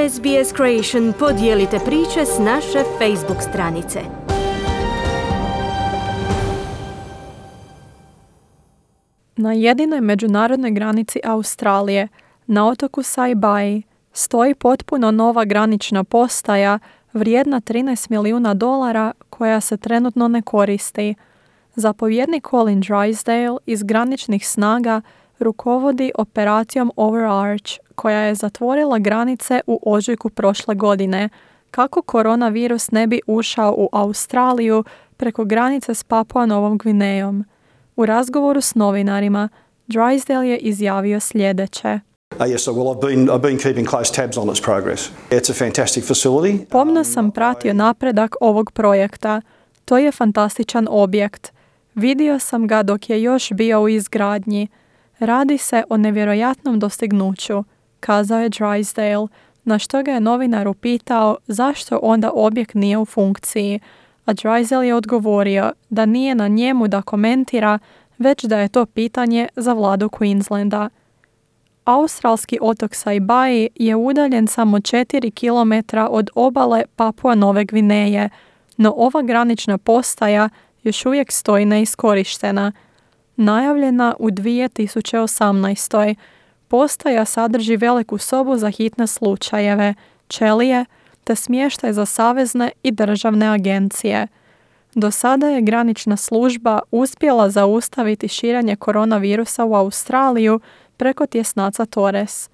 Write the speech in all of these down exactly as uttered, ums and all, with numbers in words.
S B S Creation podijelite priče s naše Facebook stranice. Na jedinoj međunarodnoj granici Australije, na otoku Saibai, stoji potpuno nova granična postaja vrijedna trinaest milijuna dolara koja se trenutno ne koristi. Zapovjednik Colin Drysdale iz graničnih snaga rukovodi operacijom Overarch, koja je zatvorila granice u ožujku prošle godine, kako koronavirus ne bi ušao u Australiju preko granice s Papua Novom Gvinejom. U razgovoru s novinarima, Drysdale je izjavio sljedeće. Uh, yes, so well, I've been I've been keeping close tabs on its progress. It's a fantastic facility. Pomno sam pratio napredak ovog projekta. To je fantastičan objekt. Vidio sam ga dok je još bio u izgradnji. Radi se o nevjerojatnom dostignuću, kazao je Drysdale, na što ga je novinar upitao zašto onda objekt nije u funkciji, a Drysdale je odgovorio da nije na njemu da komentira, već da je to pitanje za vladu Queenslanda. Australski otok Saibai je udaljen samo četiri kilometra od obale Papua Nove Gvineje, no ova granična postaja još uvijek stoji neiskorištena. Najavljena u dvije tisuće osamnaest. Postaja sadrži veliku sobu za hitne slučajeve, ćelije te smještaj za savezne i državne agencije. Do sada je granična služba uspjela zaustaviti širenje koronavirusa u Australiju preko tjesnaca Torres.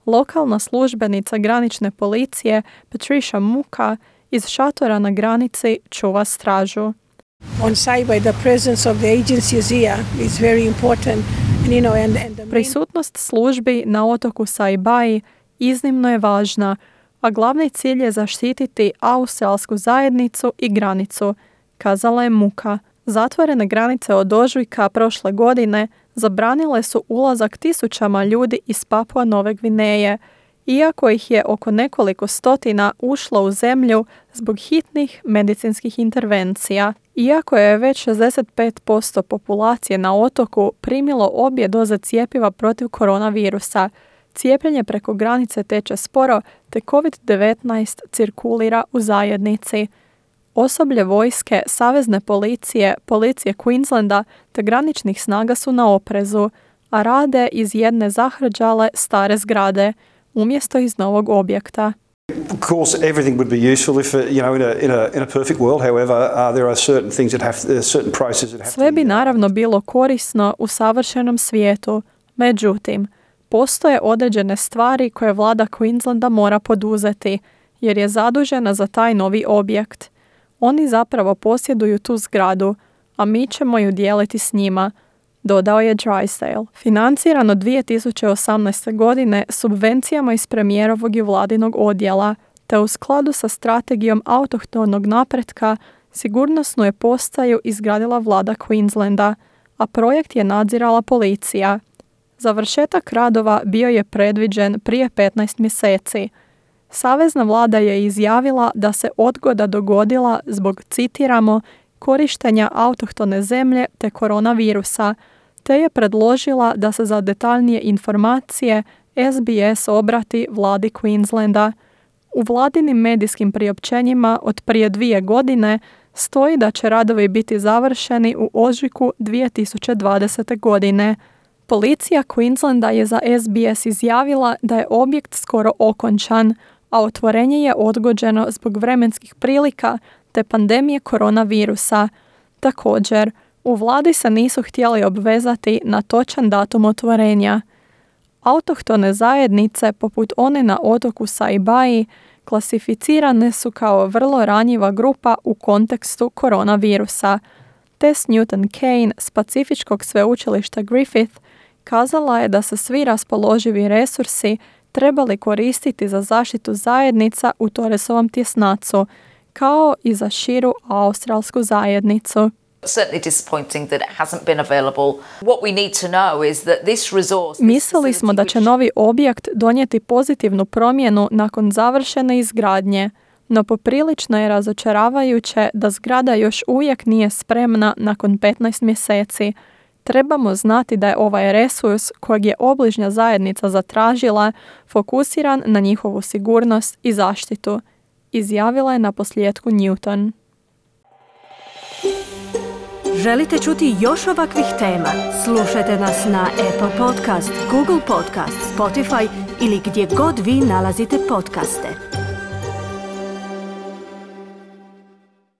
Lokalna službenica granične policije Patricia Muka iz šatora na granici čuva stražu. On Saibai, the presence of the agencies here is very important. And, you know, and, and the main... Prisutnost službi na otoku Saibai iznimno je važna, a glavni cilj je zaštititi australsku zajednicu i granicu, kazala je Muka. Zatvorene granice od ožujka prošle godine zabranile su ulazak tisućama ljudi iz Papua Nove Gvineje, iako ih je oko nekoliko stotina ušlo u zemlju zbog hitnih medicinskih intervencija. Iako je već šezdeset pet posto populacije na otoku primilo obje doze cjepiva protiv koronavirusa, cijepljenje preko granice teče sporo te covid devetnaest cirkulira u zajednici. Osoblje vojske, savezne policije, policije Queenslanda te graničnih snaga su na oprezu, a rade iz jedne zahrđale stare zgrade, umjesto iz novog objekta. Of course, everything would be useful if, uh, you know, in a in a in a perfect world. However, uh, there are certain things that have uh, certain processes that have. Sve bi naravno bilo korisno u savršenom svijetu. Međutim, postoje određene stvari koje vlada Queenslanda mora poduzeti, jer je zadužena za taj novi objekt. Oni zapravo posjeduju tu zgradu, a mi ćemo ju dijeliti s njima, dodao je Drysdale. Financirano dvije tisuće osamnaeste. godine subvencijama iz premijerovog i vladinog odjela, te u skladu sa strategijom autohtonog napretka, sigurnosnu je postaju izgradila vlada Queenslanda, a projekt je nadzirala policija. Završetak radova bio je predviđen prije petnaest mjeseci. Savezna vlada je izjavila da se odgoda dogodila zbog, citiramo, korištenja autohtone zemlje te koronavirusa, te je predložila da se za detaljnije informacije S B S obrati vladi Queenslanda. U vladinim medijskim priopćenjima od prije dvije godine stoji da će radovi biti završeni u ožujku dvije tisuće dvadesete. godine. Policija Queenslanda je za S B S izjavila da je objekt skoro okončan, a otvorenje je odgođeno zbog vremenskih prilika te pandemije koronavirusa. Također, u vladi se nisu htjeli obvezati na točan datum otvorenja. Autohtone zajednice, poput one na otoku Saibai, klasificirane su kao vrlo ranjiva grupa u kontekstu koronavirusa. Tess Newton Kane s Pacifičkog sveučilišta Griffith kazala je da se svi raspoloživi resursi trebali koristiti za zaštitu zajednica u Torresovom tjesnacu, kao i za širu australsku zajednicu. Mislili smo da će novi objekt donijeti pozitivnu promjenu nakon završene izgradnje, no poprilično je razočaravajuće da zgrada još uvijek nije spremna nakon petnaest mjeseci. Trebamo znati da je ovaj resurs kojeg je obližnja zajednica zatražila fokusiran na njihovu sigurnost i zaštitu, izjavila je naposljetku Newton. Želite čuti još ovakvih tema? Slušajte nas na Apple Podcast, Google Podcast, Spotify ili gdje god vi nalazite podcaste.